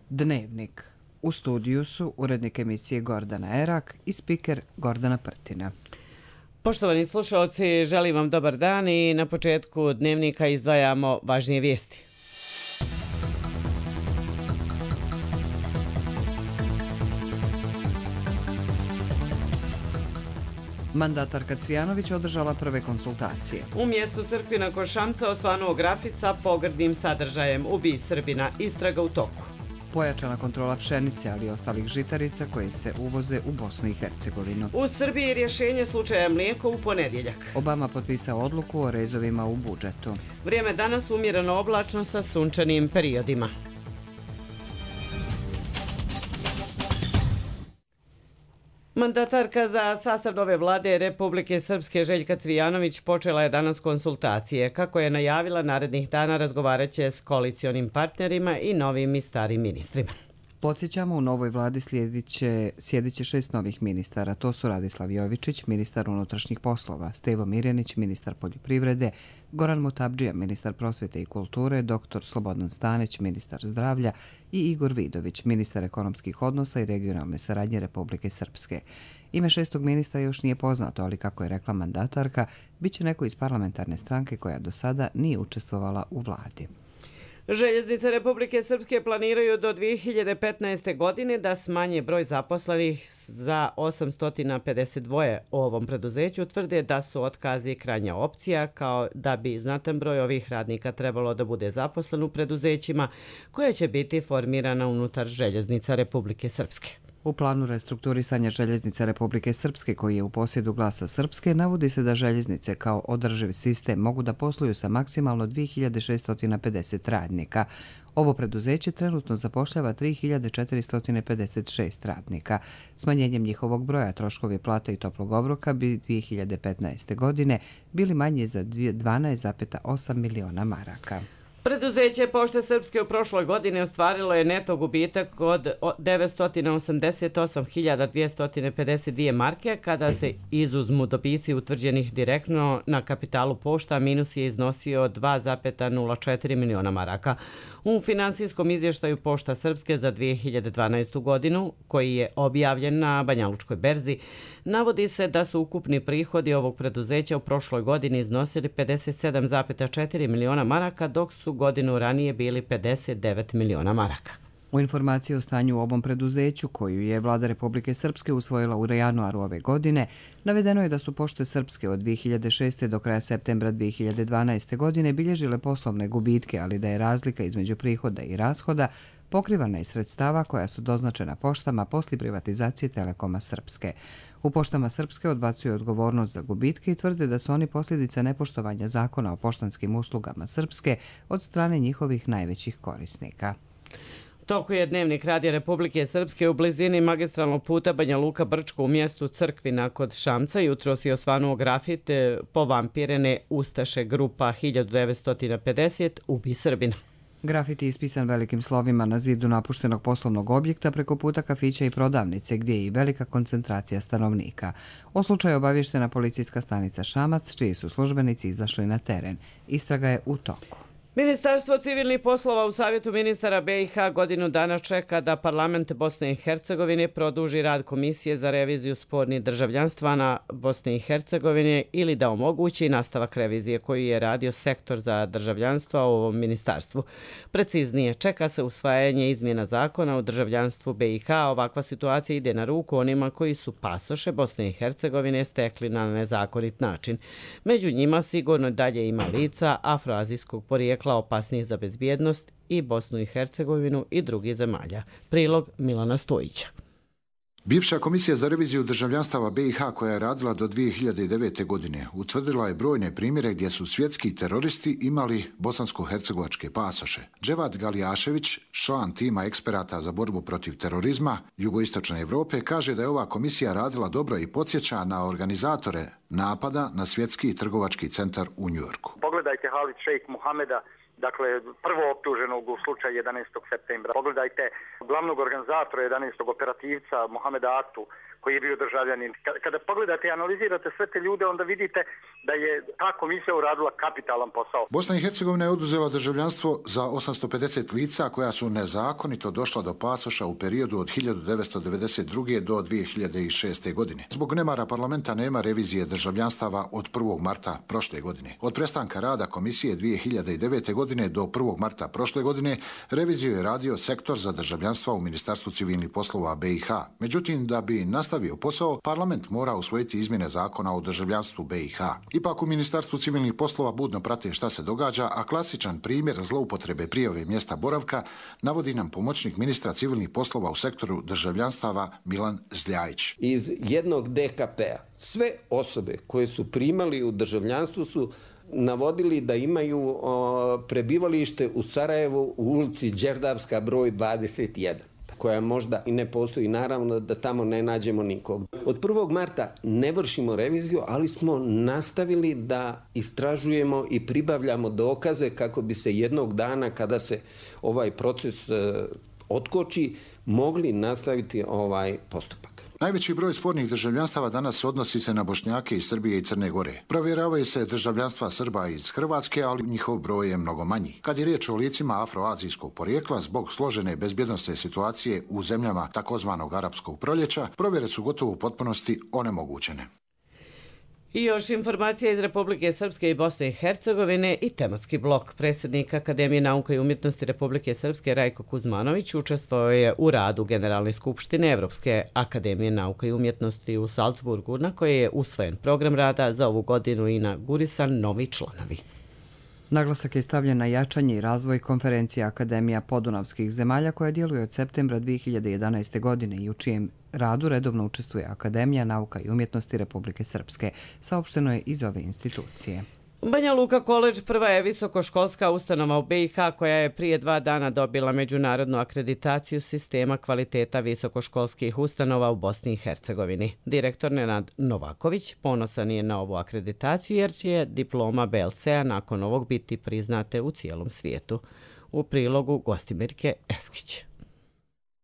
Dnevnik. U studiju su urednik emisije Gordana Erak i spiker Gordana Prtina. Poštovani slušalci, želim vam dobar dan i na početku Dnevnika izdvajamo važnije vijesti. Mandatarka Cvijanović održala prve konsultacije. U mjestu Crkvina kod Šamca osvanuo grafit sa pogrdnim sadržajem "Ubij Srbina", istraga u toku. Pojačana kontrola pšenice, ali i ostalih žitarica koje se uvoze u Bosnu i Hercegovinu. U Srbiji rješenje slučaja mlijeko u ponedjeljak. Obama potpisao odluku o rezovima u budžetu. Vrijeme danas umjereno oblačno sa sunčanim periodima. Mandatarka za sastav nove vlade Republike Srpske Željka Cvijanović počela je danas konsultacije. Kako je najavila, narednih dana razgovarat će s koalicionim partnerima i novim i starim ministrima. Podsjećamo, u novoj vladi sjedit će 6 novih ministara. To su Radislav Jovičić, ministar unutrašnjih poslova, Stevo Mirjanić, ministar poljoprivrede, Goran Mutabdžija, ministar prosvjete i kulture, dr. Slobodan Stanić, ministar zdravlja i Igor Vidović, ministar ekonomskih odnosa i regionalne saradnje Republike Srpske. Ime 6. ministra još nije poznato, ali kako je rekla mandatarka, bit će neko iz parlamentarne stranke koja do sada nije učestvovala u vladi. Željeznice Republike Srpske planiraju do 2015. godine da smanje broj zaposlenih za 852 u ovom preduzeću. Tvrde da su otkazi krajnja opcija, kao da bi znatan broj ovih radnika trebalo da bude zaposlen u preduzećima koje će biti formirana unutar Željeznica Republike Srpske. U planu restrukturisanja Željeznica Republike Srpske, koji je u posjedu Glasa Srpske, navodi se da željeznice kao održiv sistem mogu da posluju sa maksimalno 2650 radnika. Ovo preduzeće trenutno zapošljava 3456 radnika. Smanjenjem njihovog broja troškovi plate i toplog obroka bi 2015. godine bili manji za 12,8 miliona maraka. Preduzeće Pošte Srpske u prošloj godini ostvarilo je neto gubitak od 988.252 marke, kada se izuzmu dobici utvrđenih direktno na kapitalu pošta, minus je iznosio 2,04 miliona maraka. U finansijskom izvještaju Pošta Srpske za 2012. godinu, koji je objavljen na Banjalučkoj berzi, navodi se da su ukupni prihodi ovog preduzeća u prošloj godini iznosili 57,4 miliona maraka, dok su godinu ranije bili 59 miliona maraka. U informaciji o stanju u ovom preduzeću, koju je vlada Republike Srpske usvojila u januaru ove godine, navedeno je da su Pošte Srpske od 2006. do kraja septembra 2012. godine bilježile poslovne gubitke, ali da je razlika između prihoda i rashoda pokrivana iz sredstava koja su doznačena poštama poslije privatizacije Telekoma Srpske. U Poštama Srpske odbacuju odgovornost za gubitke i tvrde da su oni posljedica nepoštovanja zakona o poštanskim uslugama Srpske od strane njihovih najvećih korisnika. Toku je Dnevnik Radija Republike Srpske u blizini magistralnog puta Banja Luka-Brčko u mjestu Crkvina kod Šamca. Jutros je osvanuo grafit "Povampirene ustaše grupa 1950, ubij Srbina". Grafit je ispisan velikim slovima na zidu napuštenog poslovnog objekta preko puta kafića i prodavnice, gdje je i velika koncentracija stanovnika. O slučaju obavještena policijska stanica Šamac, čiji su službenici izašli na teren. Istraga je u toku. Ministarstvo civilnih poslova u Savjetu ministara BiH godinu dana čeka da parlament Bosne i Hercegovine produži rad Komisije za reviziju spornih državljanstva na Bosne i Hercegovine ili da omogući nastavak revizije koju je radio sektor za državljanstva u ovom ministarstvu. Preciznije, čeka se usvajanje izmjena zakona o državljanstvu BiH. Ovakva situacija ide na ruku onima koji su pasoše Bosne i Hercegovine stekli na nezakonit način. Među njima sigurno dalje ima lica afroazijskog porijekla opasnije za bezbjednost i Bosnu i Hercegovinu i drugih zemalja. Prilog Milana Stojića. Bivša komisija za reviziju državljanstava BiH, koja je radila do 2009. godine, utvrdila je brojne primjere gdje su svjetski teroristi imali bosansko-hercegovačke pasoše. Dževad Galijašević, član tima eksperata za borbu protiv terorizma jugoistočne Europe, kaže da je ova komisija radila dobro i podsjeća na organizatore napada na svjetski trgovački centar u Njujorku. Pogledajte Halid Šejk Muhameda dakle prvo optuženog u slučaju 11. septembra. Pogledajte glavnog organizatora 11. operativca Mohameda Aktu, koji je bio državljanin. Kada pogledate i analizirate sve te ljude, onda vidite da je ta komisija uradila kapitalan posao. Bosna i Hercegovina je oduzela državljanstvo za 850 lica koja su nezakonito došla do pasoša u periodu od 1992. do 2006. godine. Zbog nemara parlamenta nema revizije državljanstava od 1. marta prošle godine. Od prestanka rada komisije 2009. godine do 1. marta prošle godine reviziju je radio sektor za državljanstva u Ministarstvu civilnih poslova BiH. Međutim, da bi nastavio posao, parlament mora usvojiti izmjene zakona o državljanstvu BiH. Ipak u Ministarstvu civilnih poslova budno prate šta se događa, a klasičan primjer zloupotrebe prijave mjesta boravka navodi nam pomoćnik ministra civilnih poslova u sektoru državljanstava Milan Zljajić. Iz jednog DKP-a sve osobe koje su primali u državljanstvu su navodili da imaju prebivalište u Sarajevu u ulici Đerdapska broj 21. koja možda i ne postoji, naravno da tamo ne nađemo nikog. Od 1. marta ne vršimo reviziju, ali smo nastavili da istražujemo i pribavljamo dokaze kako bi se jednog dana, kada se ovaj proces otkoči, mogli nastaviti ovaj postupak. Najveći broj spornih državljanstava danas odnosi se na Bošnjake iz Srbije i Crne Gore. Provjeravaju se državljanstva Srba iz Hrvatske, ali njihov broj je mnogo manji. Kad je riječ o licima afroazijskog porijekla, zbog složene bezbjednosne situacije u zemljama takozvanog arapskog proljeća, provjere su gotovo u potpunosti onemogućene. I još informacija iz Republike Srpske i Bosne i Hercegovine i tematski blok. Predsjednik Akademije nauka i umjetnosti Republike Srpske Rajko Kuzmanović učestvovao je u radu Generalne skupštine Evropske akademije nauka i umjetnosti u Salzburgu, na koje je usvojen program rada za ovu godinu i inaugurisan novi članovi. Naglasak je stavljen na jačanje i razvoj konferencije Akademija podunavskih zemalja koja djeluje od septembra 2011. godine i u čijem radu redovno učestvuje Akademija nauka i umjetnosti Republike Srpske, saopšteno je iz ove institucije. Banja Luka College prva je visokoškolska ustanova u BiH koja je prije 2 dana dobila međunarodnu akreditaciju sistema kvaliteta visokoškolskih ustanova u Bosni i Hercegovini. Direktor Nenad Novaković ponosan je na ovu akreditaciju jer će diploma BLC-a nakon ovog biti priznate u cijelom svijetu. U prilogu Gostimirke Eskić.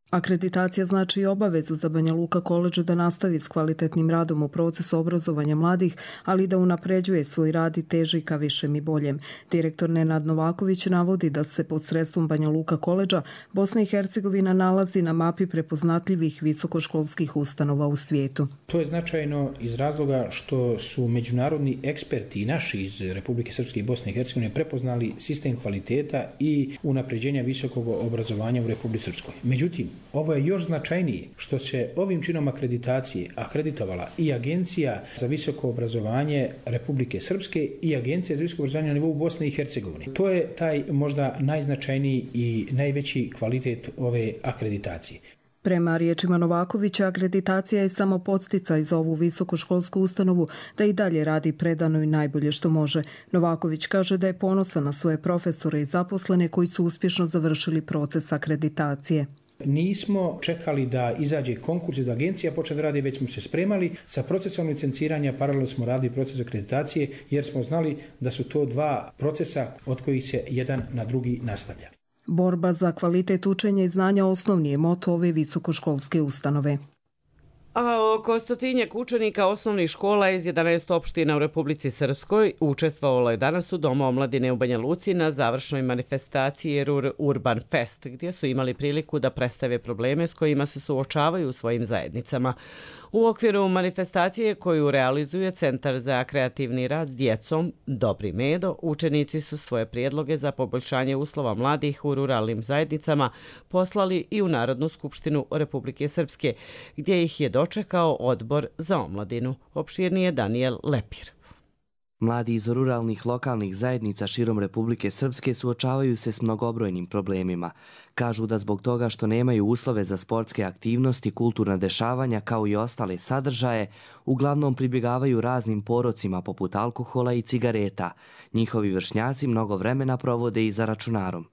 Akreditacija znači i obavezu za Banja Luka College da nastavi s kvalitetnim radom u procesu obrazovanja mladih, ali da unapređuje svoj rad i teži ka višem i boljem. Direktor Nenad Novaković navodi da se pod sredstvom Banja Luka College Bosna i Hercegovina nalazi na mapi prepoznatljivih visokoškolskih ustanova u svijetu. To je značajno iz razloga što su međunarodni eksperti naši iz Republike Srpske i Bosne i Hercegovine prepoznali sistem kvaliteta i unapređenja visokog obrazovanja u Republici Srpskoj. Međutim, ovo je još značajnije što se ovim činom akreditacije akreditovala i Agencija za visoko obrazovanje Republike Srpske i Agencija za visoko obrazovanje na nivou Bosne i Hercegovine. To je taj možda najznačajniji i najveći kvalitet ove akreditacije. Prema riječima Novakovića, akreditacija je samo podsticaj za ovu visokoškolsku ustanovu da i dalje radi predano i najbolje što može. Novaković kaže da je ponosan na svoje profesore i zaposlene koji su uspješno završili proces akreditacije. Nismo čekali da izađe konkurs i da agencija počne da radi, već smo se spremali sa procesom licenciranja, paralelno smo radili proces akreditacije jer smo znali da su to 2 procesa od kojih se jedan na drugi nastavlja. Borba za kvalitet učenja i znanja osnovni je moto ove visokoškolske ustanove. A oko 100 učenika osnovnih škola iz 11 opština u Republici Srpskoj učestvovalo je danas u Domu omladine u Banja Luci na završnoj manifestaciji Ruhr Urban Fest, gdje su imali priliku da predstave probleme s kojima se suočavaju u svojim zajednicama. U okviru manifestacije koju realizuje Centar za kreativni rad s djecom Dobri Medo, učenici su svoje prijedloge za poboljšanje uslova mladih u ruralnim zajednicama poslali i u Narodnu skupštinu Republike Srpske, gdje ih je dočekao Odbor za omladinu. Opširnije Daniel Lepir. Mladi iz ruralnih lokalnih zajednica širom Republike Srpske suočavaju se s mnogobrojnim problemima. Kažu da zbog toga što nemaju uslove za sportske aktivnosti, kulturna dešavanja kao i ostale sadržaje, uglavnom pribjegavaju raznim porocima poput alkohola i cigareta. Njihovi vršnjaci mnogo vremena provode i za računarom.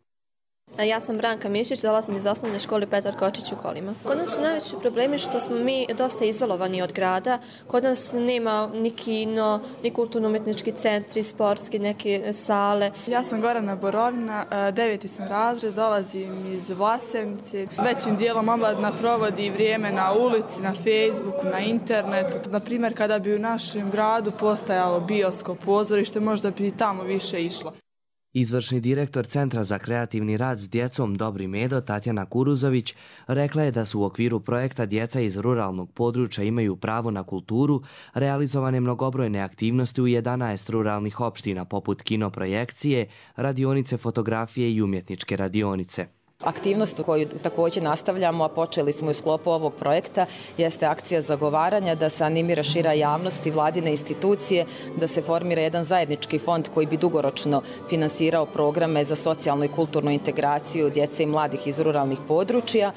Ja sam Branka Mišić, dolazim iz osnovne škole Petar Kočić u Kolima. Kod nas su najveći problemi što smo mi dosta izolovani od grada. Kod nas nema ni kino, ni kulturno-umetnički centri, sportski, neke sale. Ja sam Gorana Borovina, 9. sam razred, dolazim iz Vlasenice. Većim dijelom omladina provodi vrijeme na ulici, na Facebooku, na internetu. Naprimjer, kada bi u našem gradu postojalo bioskop, pozorište, možda bi tamo više išlo. Izvršni direktor Centra za kreativni rad s djecom Dobri Medo, Tatjana Kuruzović, rekla je da su u okviru projekta Djeca iz ruralnog područja imaju pravo na kulturu realizovane mnogobrojne aktivnosti u 11 ruralnih opština poput kinoprojekcije, radionice fotografije i umjetničke radionice. Aktivnost koju također nastavljamo, a počeli smo u sklopu ovog projekta, jeste akcija zagovaranja da se animira šira javnost i vladine institucije, da se formira jedan zajednički fond koji bi dugoročno finansirao programe za socijalnu i kulturnu integraciju djece i mladih iz ruralnih područja.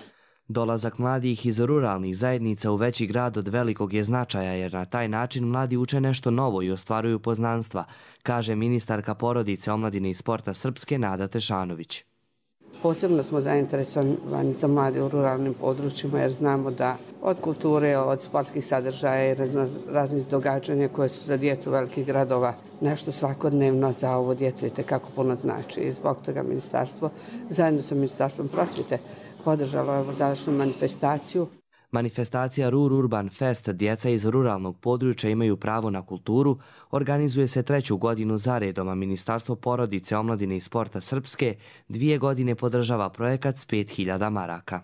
Dolazak mladih iz ruralnih zajednica u veći grad od velikog je značaja jer na taj način mladi uče nešto novo i ostvaruju poznanstva, kaže ministarka porodice, omladine i sporta Srpske Nada Tešanović. Posebno smo zainteresovani za mlade u ruralnim područjima jer znamo da od kulture, od sportskih sadržaja i raznih događanja koje su za djecu velikih gradova nešto svakodnevno za ovo djecu i tekako puno znači. I zbog toga ministarstvo zajedno sa Ministarstvom prosvjete podržalo ovu završnu manifestaciju. Manifestacija Rur Urban Fest Djeca iz ruralnog područja imaju pravo na kulturu organizuje se 3. godinu za redom, a Ministarstvo porodice, omladine i sporta Srpske 2 godine podržava projekat s 5.000 maraka.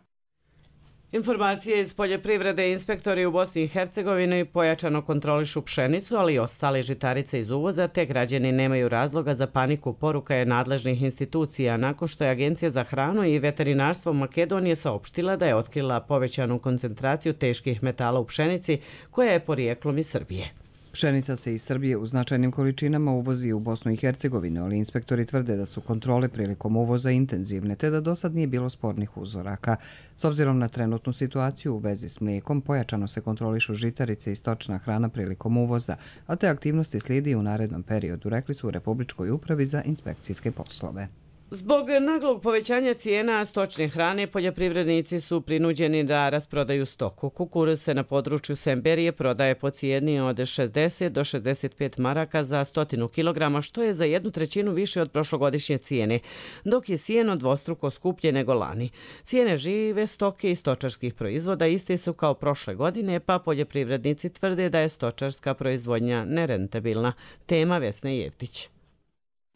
Informacije iz poljoprivrede. Inspektori u Bosni i Hercegovini pojačano kontrolišu pšenicu, ali i ostale žitarice iz uvoza, te građani nemaju razloga za paniku, poruka je nadležnih institucija, nakon što je Agencija za hranu i veterinarstvo Makedonije saopštila da je otkrila povećanu koncentraciju teških metala u pšenici koja je porijeklom iz Srbije. Pšenica se iz Srbije u značajnim količinama uvozi u Bosnu i Hercegovinu, ali inspektori tvrde da su kontrole prilikom uvoza intenzivne, te da dosad nije bilo spornih uzoraka. S obzirom na trenutnu situaciju u vezi s mlijekom, pojačano se kontrolišu žitarice i stočna hrana prilikom uvoza, a te aktivnosti slijedi u narednom periodu, rekli su u Republičkoj upravi za inspekcijske poslove. Zbog naglog povećanja cijena stočne hrane, poljoprivrednici su prinuđeni da rasprodaju stoku. Kukuruz se na području Semberije prodaje po cijeni od 60 do 65 maraka za 100 kg, što je za 1/3 više od prošlogodišnje cijene, dok je sjeno dvostruko skuplje nego lani. Cijene žive stoke i stočarskih proizvoda iste su kao prošle godine, pa poljoprivrednici tvrde da je stočarska proizvodnja nerentabilna. Tema Vesne Jevtić.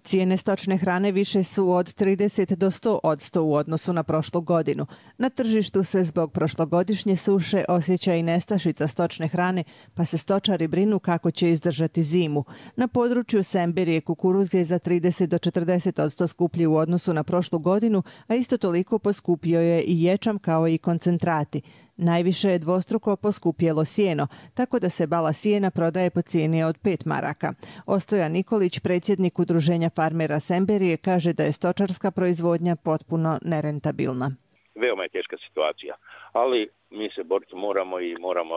Cijene stočne hrane više su od 30 do 100% u odnosu na prošlu godinu. Na tržištu se zbog prošlogodišnje suše osjeća i nestašica stočne hrane, pa se stočari brinu kako će izdržati zimu. Na području Semberije kukuruz je za 30 do 40% skuplji u odnosu na prošlu godinu, a isto toliko poskupio je i ječam kao i koncentrati. Najviše je dvostruko poskupjelo sjeno, tako da se bala sjena prodaje po cijeni od 5 maraka. Ostojan Nikolić, predsjednik Udruženja farmera Semberije, kaže da je stočarska proizvodnja potpuno nerentabilna. Veoma je teška situacija, ali mi se boriti moramo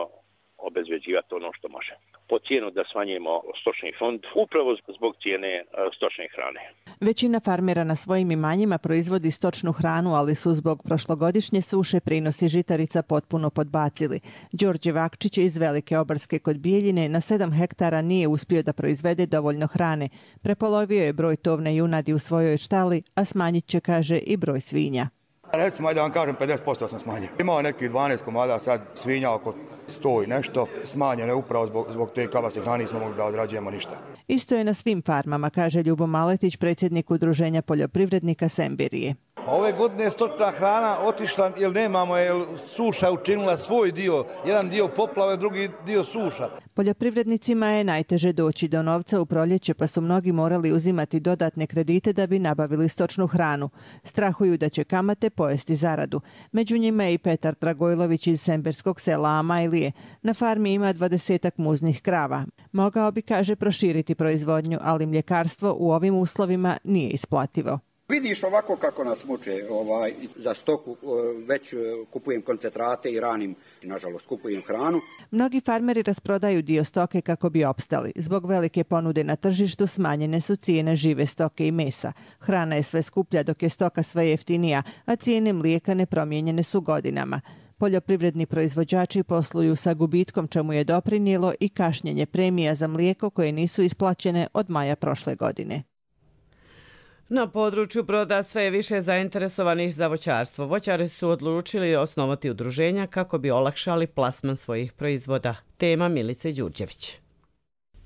obezbeđivati ono što može. Po cijenu da smanjimo stočni fond, upravo zbog cijene stočne hrane. Većina farmera na svojim imanjima proizvodi stočnu hranu, ali su zbog prošlogodišnje suše prinosi žitarica potpuno podbacili. Đorđe Vakčić iz Velike Obarske kod Bijeljine na 7 hektara nije uspio da proizvede dovoljno hrane. Prepolovio je broj tovne junadi u svojoj štali, a smanjit će, kaže, i broj svinja. Recimo, da vam kažem, 50% sam smanjio. Imao nekih 12 komada sad svinja oko 100 i nešto. Smanjeno je upravo zbog te kabasne hrane, nismo mogli da odrađujemo ništa. Isto je na svim farmama, kaže Ljubo Maletić, predsjednik Udruženja poljoprivrednika Semberije. Ove godine je stočna hrana otišla jer nemamo, jer suša učinila svoj dio. Jedan dio poplave, drugi dio suša. Poljoprivrednicima je najteže doći do novca u proljeće, pa su mnogi morali uzimati dodatne kredite da bi nabavili stočnu hranu. Strahuju da će kamate pojesti zaradu. Među njima je i Petar Dragojlović iz semberskog sela Amajlije. Na farmi ima 20-ak muznih krava. Mogao bi, kaže, proširiti proizvodnju, ali mljekarstvo u ovim uslovima nije isplativo. Vidiš ovako kako nas muče za stoku, već kupujem koncentrate i ranim, nažalost kupujem hranu. Mnogi farmeri rasprodaju dio stoke kako bi opstali. Zbog velike ponude na tržištu smanjene su cijene žive stoke i mesa. Hrana je sve skuplja dok je stoka sve jeftinija, a cijene mlijeka nepromijenjene su godinama. Poljoprivredni proizvođači posluju sa gubitkom, čemu je doprinijelo i kašnjenje premija za mlijeko koje nisu isplaćene od maja prošle godine. Na području Broda sve je više zainteresovanih za voćarstvo. Voćari su odlučili osnovati udruženja kako bi olakšali plasman svojih proizvoda. Tema Milice Đurđević.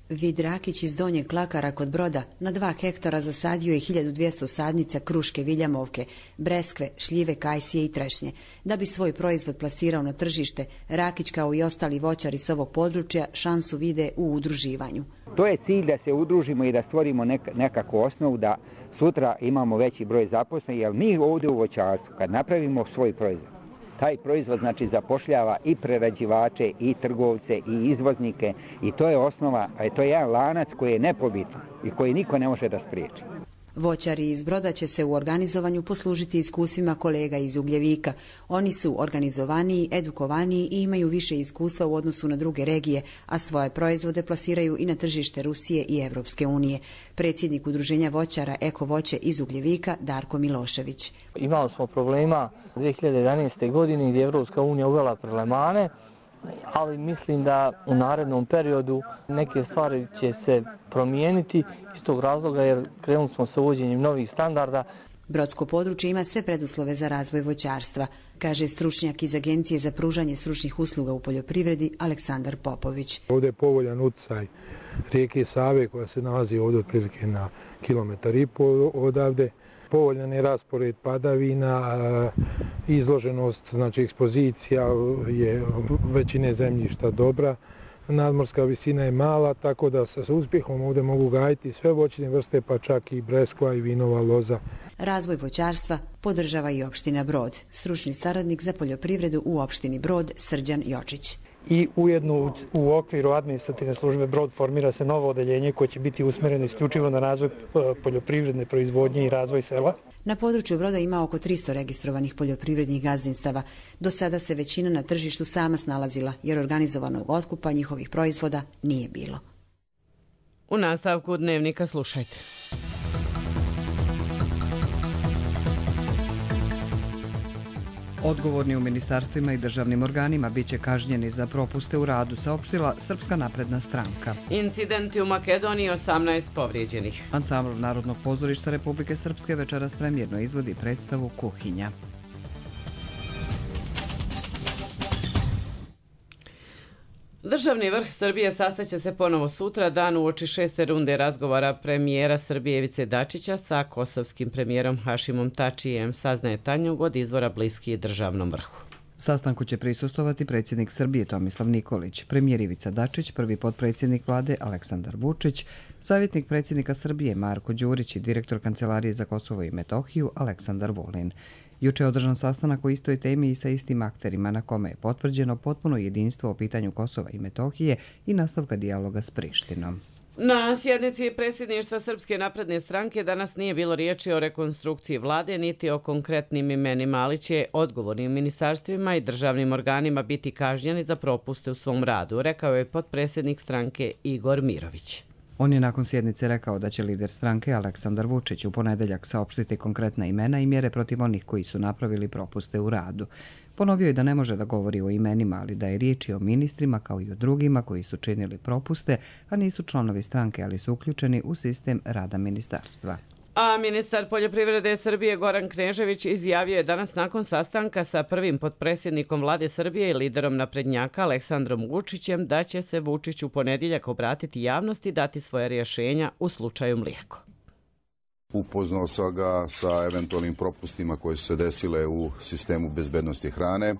Vid Rakić iz Donjeg Klakara kod Broda na 2 hektara zasadio je 1200 sadnica kruške viljamovke, breskve, šljive, kajsije i trešnje. Da bi svoj proizvod plasirao na tržište, Rakić kao i ostali voćari s ovog područja šansu vide u udruživanju. To je cilj da se udružimo i da stvorimo nekakvu osnovu da sutra imamo veći broj zaposlenih, jer mi ovdje u voćarstvu kad napravimo svoj proizvod, taj proizvod znači zapošljava i prerađivače, i trgovce, i izvoznike i to je osnova, to je jedan lanac koji je nepobitan i koji niko ne može da spriječi. Voćari iz Broda će se u organizovanju poslužiti iskustvima kolega iz Ugljevika. Oni su organizovaniji, edukovaniji i imaju više iskustva u odnosu na druge regije, a svoje proizvode plasiraju i na tržište Rusije i Evropske unije. Predsjednik udruženja voćara Eko voće iz Ugljevika Darko Milošević. Imali smo problema 2011. godine gdje je Evropska unija uvela prelevmane, ali mislim da u narednom periodu neke stvari će se promijeniti iz tog razloga jer krenuli smo sa uvođenjem novih standarda. Brodsko područje ima sve preduslove za razvoj voćarstva, kaže stručnjak iz Agencije za pružanje stručnih usluga u poljoprivredi Aleksandar Popović. Ovdje je povoljan utjecaj rijeke Save koja se nalazi ovdje otprilike na 1,5 km odavde. Povoljan je raspored padavina, izloženost, znači ekspozicija je većine zemljišta dobra, nadmorska visina je mala, tako da sa uspjehom ovdje mogu gajiti sve voćne vrste, pa čak i breskva i vinova loza. Razvoj voćarstva podržava i opština Brod. Stručni saradnik za poljoprivredu u opštini Brod Srđan Jočić. I ujedno u okviru administrativne službe Brod formira se novo odeljenje koje će biti usmjereno isključivo na razvoj poljoprivredne proizvodnje i razvoj sela. Na području Broda ima oko 300 registrovanih poljoprivrednih gazdinstava. Do sada se većina na tržištu sama snalazila jer organizovanog otkupa njihovih proizvoda nije bilo. U nastavku Dnevnika slušajte. Odgovorni u ministarstvima i državnim organima bit će kažnjeni za propuste u radu, saopštila Srpska napredna stranka. Incidenti u Makedoniji, 18 povrijeđenih. Ansambl Narodnog pozorišta Republike Srpske večeras premijerno izvodi predstavu Kuhinja. Državni vrh Srbije sastaće se ponovo sutra dan uoči 6. runde razgovora premijera Srbije Ivice Dačića sa kosovskim premijerom Hašimom Tačijem, saznaje Tanjug od izvora bliski državnom vrhu. Sastanku će prisustovati predsjednik Srbije Tomislav Nikolić, premijer Ivica Dačić, prvi potpredsjednik vlade Aleksandar Vučić, savjetnik predsjednika Srbije Marko Đurić i direktor Kancelarije za Kosovo i Metohiju Aleksandar Vulin. Juče je održan sastanak o istoj temi i sa istim akterima na kome je potvrđeno potpuno jedinstvo o pitanju Kosova i Metohije i nastavka dijaloga s Prištinom. Na sjednici predsjedništva Srpske napredne stranke danas nije bilo riječi o rekonstrukciji vlade niti o konkretnim imenima, ali će odgovornim ministarstvima i državnim organima biti kažnjeni za propuste u svom radu, rekao je potpredsjednik stranke Igor Mirović. On je nakon sjednice rekao da će lider stranke Aleksandar Vučić u ponedeljak saopštiti konkretna imena i mjere protiv onih koji su napravili propuste u radu. Ponovio je da ne može da govori o imenima, ali da je riječ o ministrima kao i o drugima koji su činili propuste, a nisu članovi stranke, ali su uključeni u sistem rada ministarstva. A ministar poljoprivrede Srbije Goran Knežević izjavio je danas nakon sastanka sa prvim potpredsjednikom vlade Srbije i liderom naprednjaka Aleksandrom Vučićem da će se Vučić u ponedjeljak obratiti javnosti i dati svoje rješenja u slučaju mlijeko. Upoznao sam ga sa eventualnim propustima koje su se desile u sistemu bezbednosti hrane,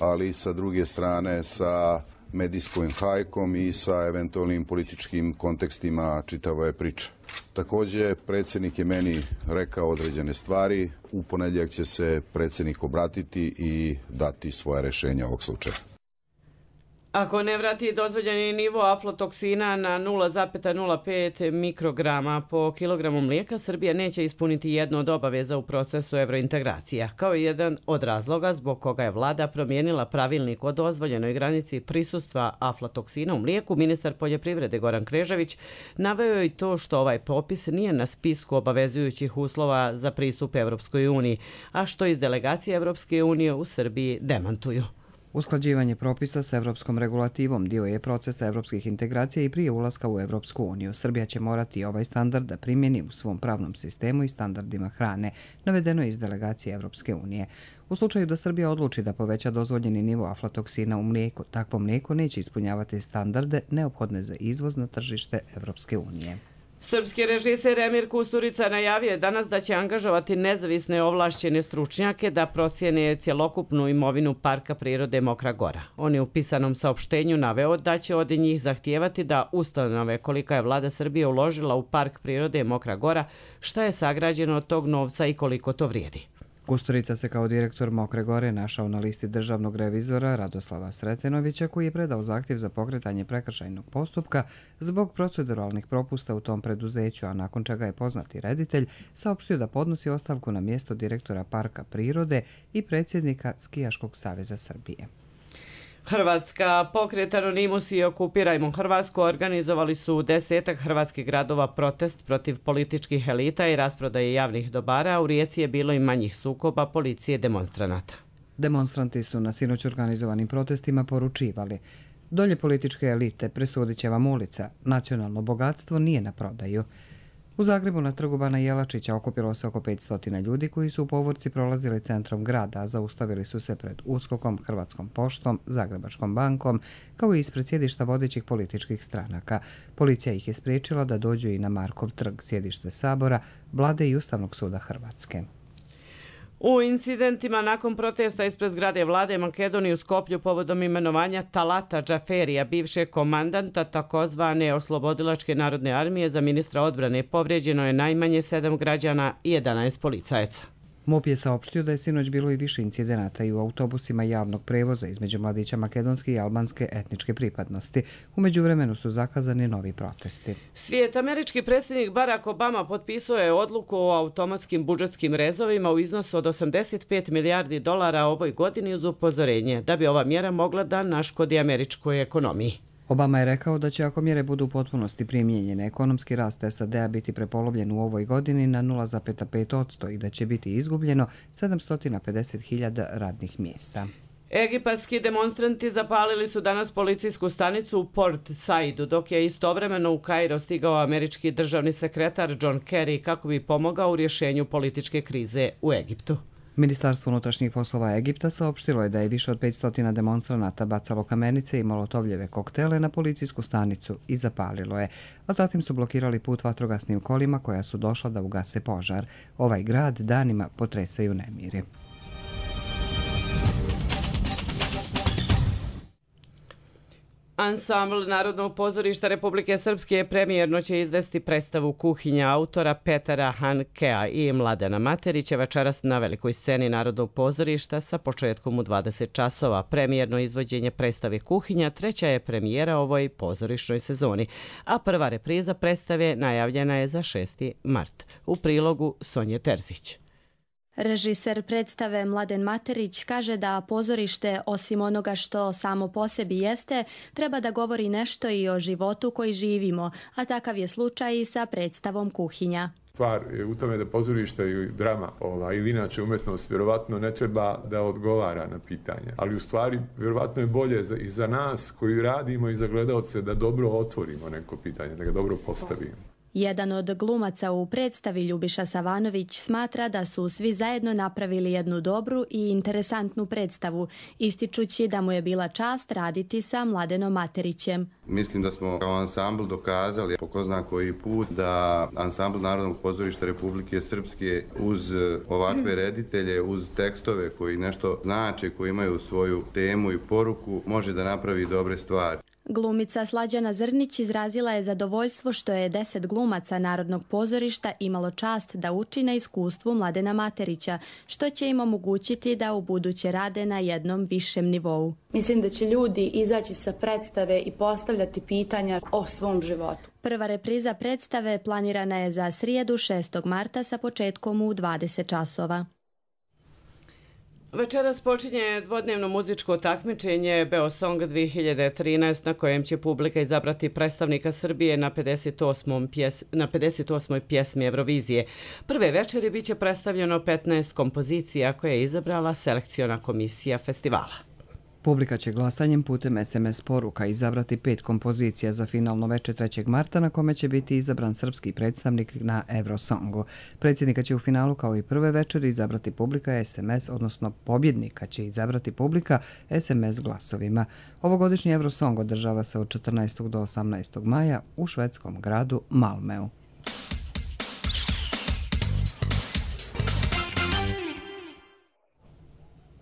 ali sa druge strane sa medijskom hajkom i sa eventualnim političkim kontekstima čitave priče. Također, predsjednik je meni rekao određene stvari. U ponedjeljak će se predsjednik obratiti i dati svoje rješenja ovog slučaja. Ako ne vrati dozvoljeni nivo aflatoksina na 0,05 mikrograma po kilogramu mlijeka, Srbija neće ispuniti jednu od obaveza u procesu evrointegracija. Kao jedan od razloga zbog koga je vlada promijenila pravilnik o dozvoljenoj granici prisustva aflatoksina u mlijeku, ministar poljoprivrede Goran Knežević naveo je i to što ovaj popis nije na spisku obavezujućih uslova za pristup Evropskoj uniji, a što iz delegacije Evropske unije u Srbiji demantuju. Usklađivanje propisa s evropskom regulativom dio je procesa evropskih integracija i prije ulaska u Evropsku uniju. Srbija će morati ovaj standard da primjeni u svom pravnom sistemu i standardima hrane, navedeno je iz delegacije Evropske unije. U slučaju da Srbija odluči da poveća dozvoljeni nivo aflatoksina u mlijeku, takvo mlijeko neće ispunjavati standarde neophodne za izvoz na tržište Evropske unije. Srpski režiser Emir Kusturica najavio je danas da će angažovati nezavisne ovlašćene stručnjake da procijene cjelokupnu imovinu Parka prirode Mokra Gora. On je u pisanom saopštenju naveo da će od njih zahtijevati da ustanove kolika je vlada Srbije uložila u Park prirode Mokra Gora, šta je sagrađeno od tog novca i koliko to vrijedi. Kusturica se kao direktor Mokre Gore našao na listi državnog revizora Radoslava Sretenovića, koji je predao zahtjev za pokretanje prekršajnog postupka zbog proceduralnih propusta u tom preduzeću, a nakon čega je poznati reditelj saopštio da podnosi ostavku na mjesto direktora Parka prirode i predsjednika Skijaškog saveza Srbije. Hrvatska, pokret Anonimus i Okupirajmo Hrvatsku organizovali su u 10 hrvatskih gradova protest protiv političkih elita i rasprodaje javnih dobara. U Rijeci je bilo i manjih sukoba policije demonstranata. Demonstranti su na sinoć organizovanim protestima poručivali: dolje političke elite, presudit će vam ulica, nacionalno bogatstvo nije na prodaju. U Zagrebu na trgu Bana Jelačića okupilo se oko 500 ljudi koji su u povorci prolazili centrom grada, a zaustavili su se pred USKOK-om, Hrvatskom poštom, Zagrebačkom bankom, kao i ispred sjedišta vodećih političkih stranaka. Policija ih je spriječila da dođu i na Markov trg, sjedište Sabora, Vlade i Ustavnog suda Hrvatske. U incidentima nakon protesta ispred zgrade vlade Makedonije u Skoplju povodom imenovanja Talata Džaferija, bivšeg komandanta takozvane Oslobodilačke narodne armije, za ministra odbrane povrijeđeno je najmanje 7 građana i 11 policajaca. MUP je saopštio da je sinoć bilo i više incidenata i u autobusima javnog prevoza između mladića makedonske i albanske etničke pripadnosti. U međuvremenu su zakazani novi protesti. Svijet, američki predsjednik Barack Obama potpisao je odluku o automatskim budžetskim rezovima u iznosu od 85 milijardi dolara ovoj godini uz upozorenje da bi ova mjera mogla da naškodi američkoj ekonomiji. Obama je rekao da će, ako mjere budu u potpunosti primijenjene, ekonomski rast SAD-a biti prepolovljen u ovoj godini na 0,5% i da će biti izgubljeno 750.000 radnih mjesta. Egipatski demonstranti zapalili su danas policijsku stanicu u Port Saidu, dok je istovremeno u Kairo stigao američki državni sekretar John Kerry kako bi pomogao u rješenju političke krize u Egiptu. Ministarstvo unutrašnjih poslova Egipta saopštilo je da je više od 500 demonstranata bacalo kamenice i molotovljeve koktele na policijsku stanicu i zapalilo je, a zatim su blokirali put vatrogasnim kolima koja su došla da ugase požar. Ovaj grad danima potresaju nemiri. Ansambl Narodnog pozorišta Republike Srpske premijerno će izvesti predstavu Kuhinja autora Petera Hankea i Mladena Materića večeras na velikoj sceni Narodnog pozorišta sa početkom u 20 časova. Premijerno izvođenje predstave Kuhinja treća je premijera ovoj pozorišnoj sezoni, a prva repriza predstave najavljena je za 6. mart. U prilogu Sonje Terzić. Režiser predstave Mladen Materić kaže da pozorište, osim onoga što samo po sebi jeste, treba da govori nešto i o životu koji živimo, a takav je slučaj i sa predstavom Kuhinja. Stvar je u tome da pozorište i drama ili inače umjetnost vjerovatno ne treba da odgovara na pitanja. Ali u stvari vjerovatno je bolje i za nas koji radimo i za gledaoce da dobro otvorimo neko pitanje, da ga dobro postavimo. Jedan od glumaca u predstavi, Ljubiša Savanović, smatra da su svi zajedno napravili jednu dobru i interesantnu predstavu, ističući da mu je bila čast raditi sa Mladenom Materićem. Mislim da smo kao ansambl dokazali po ko zna koji put da ansambl Narodnog pozorišta Republike Srpske uz ovakve reditelje, uz tekstove koji nešto znače, koji imaju svoju temu i poruku, može da napravi dobre stvari. Glumica Slađana Zrnić izrazila je zadovoljstvo što je 10 glumaca Narodnog pozorišta imalo čast da uči na iskustvu Mladena Materića, što će im omogućiti da ubuduće rade na jednom višem nivou. Mislim da će ljudi izaći sa predstave i postavljati pitanja o svom životu. Prva repriza predstave planirana je za srijedu 6. marta sa početkom u 20 časova. Večeras počinje dvodnevno muzičko takmičenje Beosong 2013 na kojem će publika izabrati predstavnika Srbije na 58. pjesmi Eurovizije. Prve večeri biće predstavljeno 15 kompozicija koje je izabrala selekciona komisija festivala. Publika će glasanjem putem SMS poruka izabrati 5 kompozicija za finalno večer 3. marta na kome će biti izabran srpski predstavnik na Eurosongu. Predsjednika će u finalu kao i prve večeri izabrati publika SMS, odnosno pobjednika će izabrati publika SMS glasovima. Ovogodišnji Eurosong održava se od 14. do 18. maja u švedskom gradu Malmeu.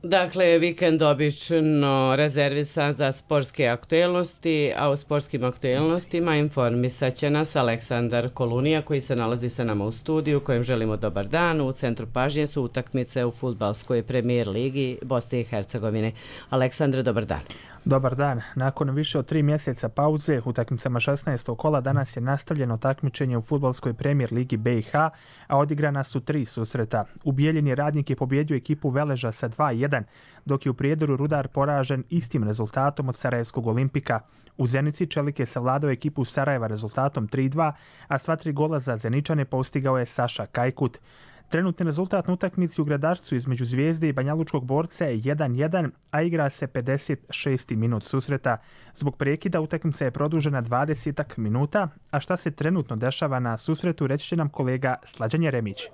Dakle, vikend obično rezervisan za sportske aktuelnosti, a u sportskim aktuelnostima informisat će nas Aleksandar Kolunija koji se nalazi sa nama u studiju, kojem želimo dobar dan. U centru pažnje su utakmice u fudbalskoj premijer ligi Bosne i Hercegovine. Aleksandre, dobar dan. Dobar dan. Nakon više od 3 mjeseca pauze, utakmicama 16. kola danas je nastavljeno takmičenje u fudbalskoj premijer ligi BiH, a odigrana su 3 susreta. U Bijeljini Radnik je pobjedio ekipu Veleža sa 2:1, dok je u Prijedoru Rudar poražen istim rezultatom od Sarajevskog Olimpika. U Zenici Čelik je savladao ekipu Sarajeva rezultatom 3:2, a sva 3 gola za Zeničane postigao je Saša Kajkut. Trenutni rezultat na utakmici u Gradarcu između Zvijezde i Banjalučkog Borca je 1:1, a igra se 56. minut susreta. Zbog prekida utakmica je produžena 20 minuta, a šta se trenutno dešava na susretu reći će nam kolega Slađan Jeremić.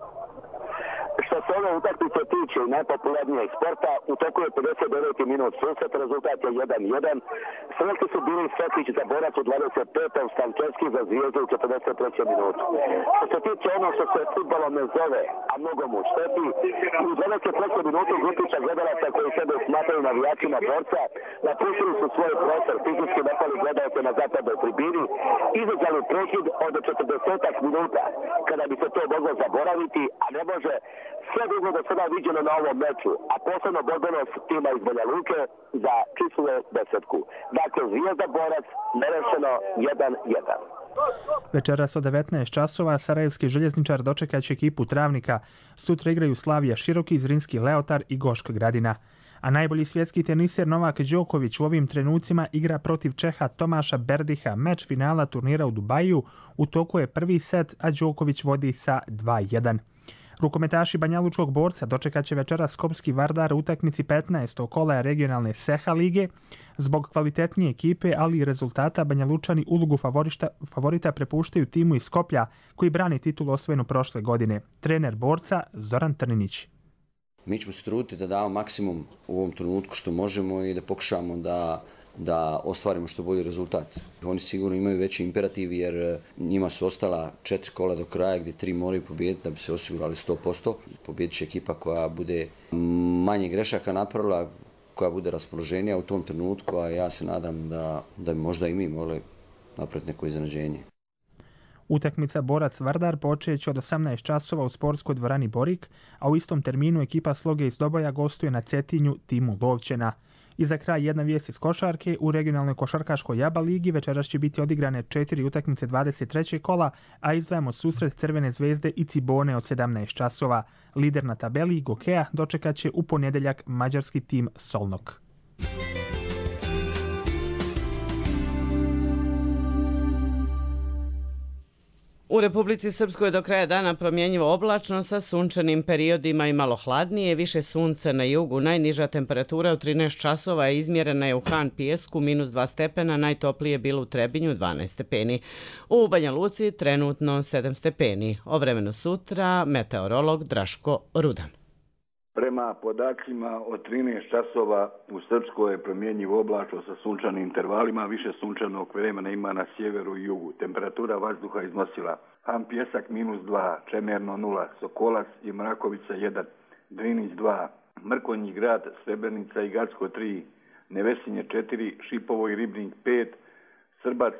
Što se ove utakmice tiče najpopularnijeg sporta, u toku je 59. minut susret, rezultat je 1:1. Sretni su bili Sokić za Borac u 25. Stančevski za Zvijezdu u 43. minutu. Što se tiče ono što se futbolom ne zove, a mnogo mu šteti, u 23. minutu grupića gledalaca koji sebe smatraju navijačima Borca napustili su svoj prostor, fizički napali gledalce na zapadnoj tribini, izazvali prekid od 40 minuta, kada bi se to moglo zaboraviti, a ne može. Sve drugo do sada viđeno na ovom meču, a posebno borbenost tima iz Banja Luke za čistinu desetku. Dakle, Zvijezda Borac nerešeno 1:1. Večeras od 19 časova Sarajevski željezničar dočekat će ekipu Travnika. Sutra igraju Slavija Široki, Zrinski Leotar i Goška Gradina. A najbolji svjetski teniser Novak Đoković u ovim trenucima igra protiv Čeha Tomaša Berdiha. Meč finala turnira u Dubaju. U toku je prvi set, a Đoković vodi sa 2:1. Rukometaši Banjalučkog Borca dočekat će večeras Skopski Vardar u utakmici 15. kola regionalne Seha lige. Zbog kvalitetnije ekipe, ali i rezultata, Banjalučani ulogu favorita prepuštaju timu iz Skoplja, koji brani titulu osvojenu prošle godine. Trener Borca Zoran Trninić. Mi ćemo se truditi da damo maksimum u ovom trenutku što možemo i da pokušamo da ostvarimo što bolji rezultat. Oni sigurno imaju veći imperativ jer njima su ostala 4 kola do kraja gdje 3 moraju pobijediti da bi se osigurali 100%. Pobijedit će ekipa koja bude manje grešaka napravila, koja bude raspoloženija u tom trenutku, a ja se nadam da bi možda i mi mogli napraviti neko iznenađenje. Utakmica Borac Vardar počeće od 18 časova u sportskoj dvorani Borik, a u istom terminu ekipa Sloge iz Doboja gostuje na Cetinju timu Lovćena. I za kraj jedna vijest iz košarke. U regionalnoj košarkaškoj Jaba ligi večeras će biti odigrane 4 utakmice 23. kola, a izdvajamo susret Crvene zvezde i Cibone od 17 časova. Lider na tabeli Gokeja dočekat će u ponedjeljak mađarski tim Solnok. U Republici Srpskoj do kraja dana promjenjivo oblačno sa sunčanim periodima i malo hladnije, više sunca na jugu. Najniža temperatura u 13 časova je izmjerena je u Han Pijesku -2 stepena, najtoplije bilo u Trebinju 12 stepeni. U Banja Luci trenutno 7 stepeni. O vremenu sutra meteorolog Draško Rudan. Prema podacima od 13 časova u Srpskoj je promjenjivo oblačno sa sunčanim intervalima, više sunčanog vremena ima na sjeveru i jugu. Temperatura vazduha iznosila Han Pijesak -2, Čemerno 0, Sokolac i Mrakovica 1, Drinić 2, Mrkonji grad, Srebrenica i Gacko 3, Nevesinje 4, Šipovo i Ribnik 5, Srbac,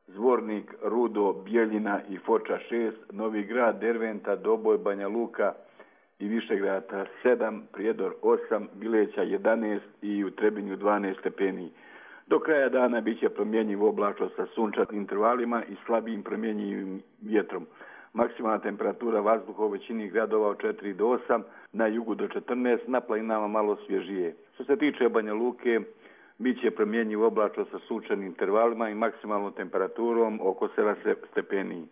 Zvornik, Rudo, Bijeljina i Foča 6, Novi Grad, Derventa, Doboj, Banja Luka i Višegrada 7, Prijedor 8, Bileća 11 i u Trebinju 12 stepeni. Do kraja dana bit će promjenjivo oblačno sa sunčanim intervalima i slabijim promjenjivim vjetrom. Maksimalna temperatura vazduha u većini gradova od 4 do 8, na jugu do 14, na planinama malo svježije. Što se tiče Banja Luke, bit će promjenjivo oblačno sa sunčanim intervalima i maksimalnom temperaturom oko 7 stepeni.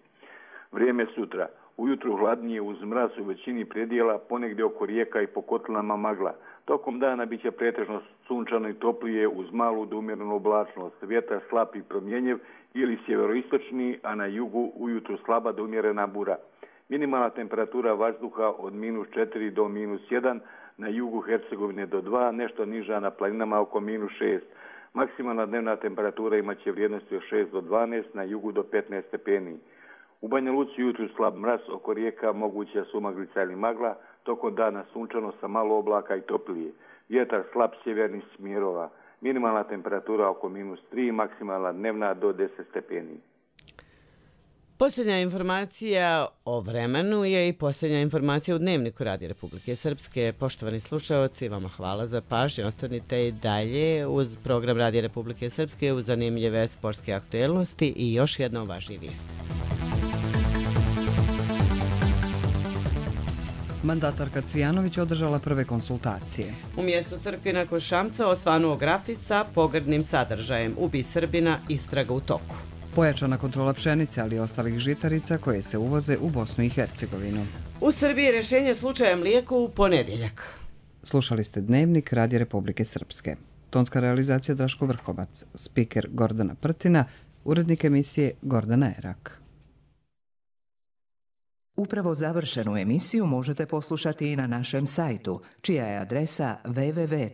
Vrijeme sutra. Ujutru hladnije uz mraz u većini predjela, ponegdje oko rijeka i po kotlinama magla. Tokom dana bit će pretežno sunčano i toplije uz malu do umjerenu oblačnost. Vjetar slab i promjenjiv ili sjeveroistočni, a na jugu ujutru slaba do umjerena bura. Minimalna temperatura vazduha od -4 do -1, na jugu Hercegovine do 2, nešto niža na planinama oko -6. Maksimalna dnevna temperatura imaće vrijednosti od 6 do 12, na jugu do 15 stepeni. U Banja Luci jutru slab mraz, oko rijeka moguća sumaglica ili magla, tokom dana sunčano sa malo oblaka i toplije. Vjetar slab sjevernih smjerova. Minimalna temperatura oko -3, maksimalna dnevna do 10 stepeni. Posljednja informacija o vremenu je i posljednja informacija u Dnevniku Radija Republike Srpske. Poštovani slušaoci, vama hvala za pažnju. Ostanite i dalje uz program Radija Republike Srpske uz zanimljive sportske aktuelnosti i još jedna važnija vijest. Mandatarka Cvijanović održala prve konsultacije. U mjestu Crkvina kod Šamca osvanuo grafit sa pogrdnim sadržajem "Ubi Srbina, istraga u toku". Pojačana kontrola pšenice, ali i ostalih žitarica koje se uvoze u Bosnu i Hercegovinu. U Srbiji rješenje slučaja mlijeko u ponedjeljak. Slušali ste Dnevnik Radija Republike Srpske. Tonska realizacija Draško Vrhovac, spiker Gordana Prtina, urednik emisije Gordana Erak. Upravo završenu emisiju možete poslušati i na našem sajtu, čija je adresa www.rtrs.tv.